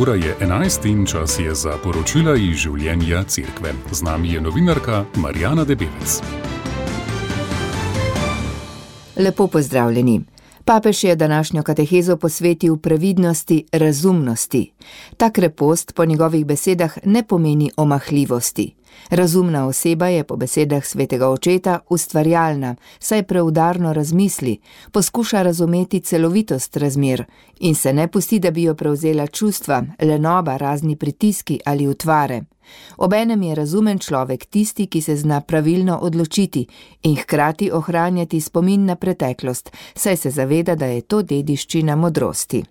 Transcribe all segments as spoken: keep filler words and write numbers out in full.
Ura je enajst in čas je za poročila iz življenja cerkve. Z nami je novinarka Marjana Debevec. Lepo pozdravljeni. Papež je današnjo katehezo posvetil previdnosti, razumnosti. Ta krepost po njegovih besedah ne pomeni omahljivosti. Razumna oseba je po besedah svetega očeta ustvarjalna, saj preudarno razmisli, poskuša razumeti celovitost razmer in se ne pusti, da bi jo prevzela čustva, lenoba, razni pritiski ali utvare. Obenem je razumen človek tisti, ki se zna pravilno odločiti in hkrati ohranjati spomin na preteklost, saj se zaveda, da je to dediščina modrosti.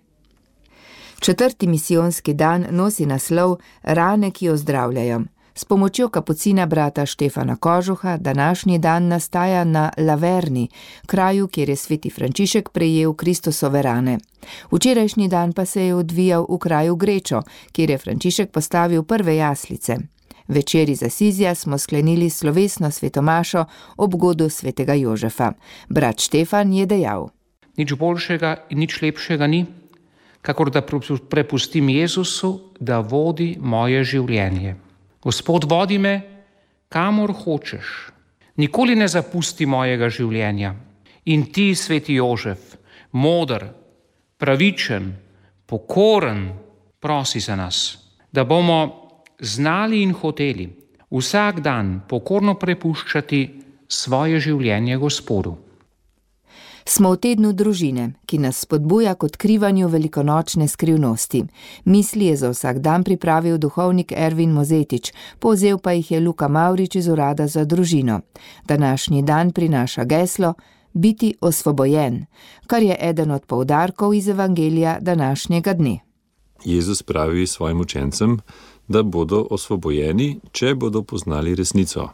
Četrti misijonski dan nosi naslov Rane, ki ozdravljajo. S pomočjo kapucina brata Štefana Kožuha današnji dan nastaja na Laverni, kraju, kjer je sveti Frančišek prejel Kristusove rane. Včerajšnji dan pa se je odvijal v kraju Grečo, kjer je Frančišek postavil prve jaslice. Večer iz Asizija smo sklenili slovesno svetomašo ob godu svetega Jožefa. Brat Štefan je dejal: Nič boljšega in nič lepšega ni, kakor da prepustim Jezusu, da vodi moje življenje. Gospod, vodi me, kamor hočeš. Nikoli ne zapusti mojega življenja. In ti, sveti Jožef, moder, pravičen, pokoren, prosi za nas, da bomo znali in hoteli vsak dan pokorno prepuščati svoje življenje Gospodu. Smo v tednu družine, ki nas spodbuja k odkrivanju velikonočne skrivnosti. Misli je za vsak dan pripravil duhovnik Ervin Mozetič, povzel pa jih je Luka Mavrič iz Urada za družino. Današnji dan prinaša geslo biti osvobojen, kar je eden od poudarkov iz evangelija današnjega dne. Jezus pravi svojim učencem, da bodo osvobojeni, če bodo poznali resnico.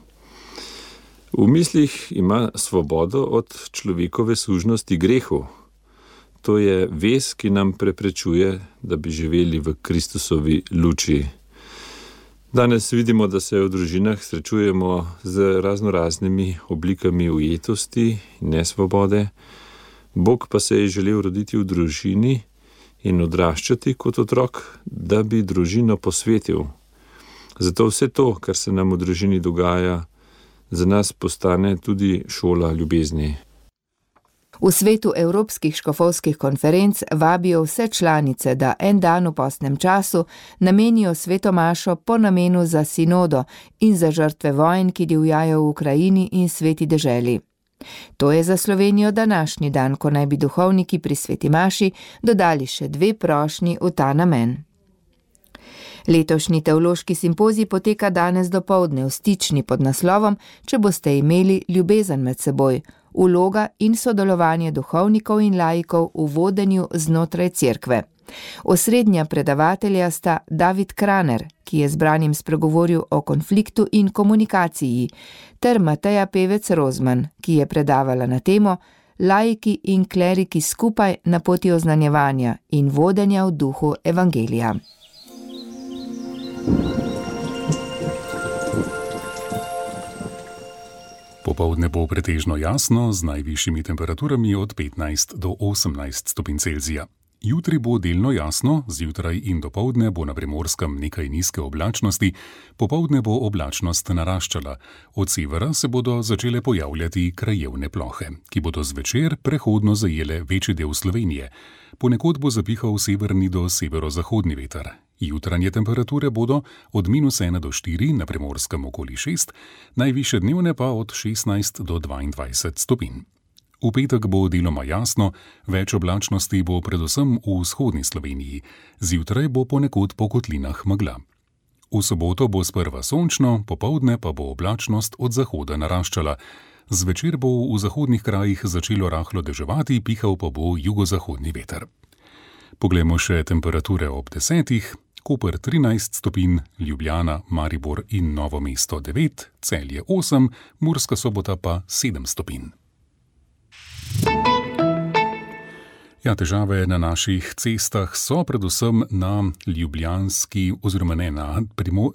V mislih ima svobodo od človekove sužnosti grehu. To je vez, ki nam preprečuje, da bi živeli v Kristusovi luči. Danes vidimo, da se v družinah srečujemo z raznoraznimi oblikami ujetosti in nesvobode. Bog pa se je želel roditi v družini in odraščati kot otrok, da bi družino posvetil. Zato vse to, kar se nam v družini dogaja, za nas postane tudi šola ljubezni. V svetu evropskih škofovskih konferenc vabijo vse članice, da en dan v postnem času namenijo svetomašo po namenu za sinodo in za žrtve vojn, ki divjajo v Ukrajini in sveti deželi. To je za Slovenijo današnji dan, ko naj bi duhovniki pri sveti maši dodali še dve prošnji v ta namen. Letošnji teološki simpozij poteka danes dopoldne v Stični pod naslovom Če boste imeli ljubezen med seboj, vloga in sodelovanje duhovnikov in laikov v vodenju znotraj cerkve. Osrednja predavatelja sta David Kraner, ki je zbranim spregovoril o konfliktu in komunikaciji, ter Mateja Pevec Rozman, ki je predavala na temo Laiki in kleriki skupaj na poti oznanjevanja in vodenja v duhu evangelija. Popoldne bo pretežno jasno z najvišjimi temperaturami od petnajst do osemnajst stopinj Celzija. Jutri bo delno jasno, zjutraj in dopoldne bo na Primorskem nekaj nizke oblačnosti, popoldne bo oblačnost naraščala. Od severa se bodo začele pojavljati krajevne plohe, ki bodo zvečer prehodno zajele večji del Slovenije. Ponekod bo zapihal severni do severozahodni veter. Jutranje temperature bodo od minus ena do štiri, na Primorskem okoli šest, najvišje dnevne pa od šestnajst do dvaindvajset stopinj. V petek bo deloma jasno, več oblačnosti bo predvsem v vzhodni Sloveniji, zjutraj bo ponekod po kotlinah megla. V soboto bo sprva sončno, popoldne pa bo oblačnost od zahoda naraščala. Zvečer bo v zahodnih krajih začelo rahlo deževati, pihal pa bo jugozahodni veter. Poglejmo še temperature ob desetih. Koper trinajst stopinj, Ljubljana, Maribor in Novo mesto devet, Celje osem, Murska Sobota pa sedem stopinj. Ja, težave na naših cestah so predvsem na ljubljanski oziroma ne na,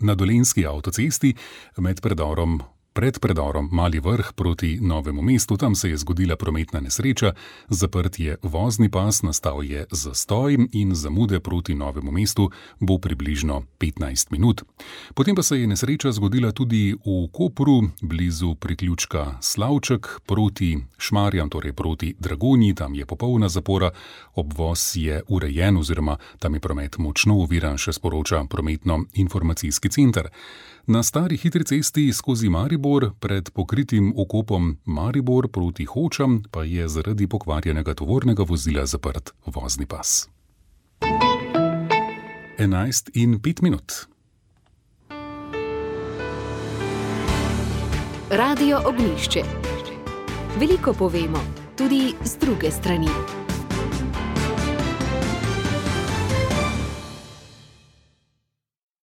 na dolenjski avtocesti med predorom Pred predorom Mali Vrh proti Novemu mestu, tam se je zgodila prometna nesreča, zaprt je vozni pas, nastal je zastoj in zamude proti Novemu mestu bo približno petnajst minut. Potem pa se je nesreča zgodila tudi v Kopru, blizu priključka Slavček proti Šmarjam, torej proti Dragonji, tam je popolna zapora, obvoz je urejen oziroma tam je promet močno oviran, še sporoča prometno-informacijski center. Na stari hitri cesti skozi Maribor pred pokritim okopom Maribor proti Hočam pa je zaradi pokvarjenega tovornega vozila zaprt vozni pas. enajst in pet minut. Radio Ognjišče. Veliko povemo, tudi z druge strani.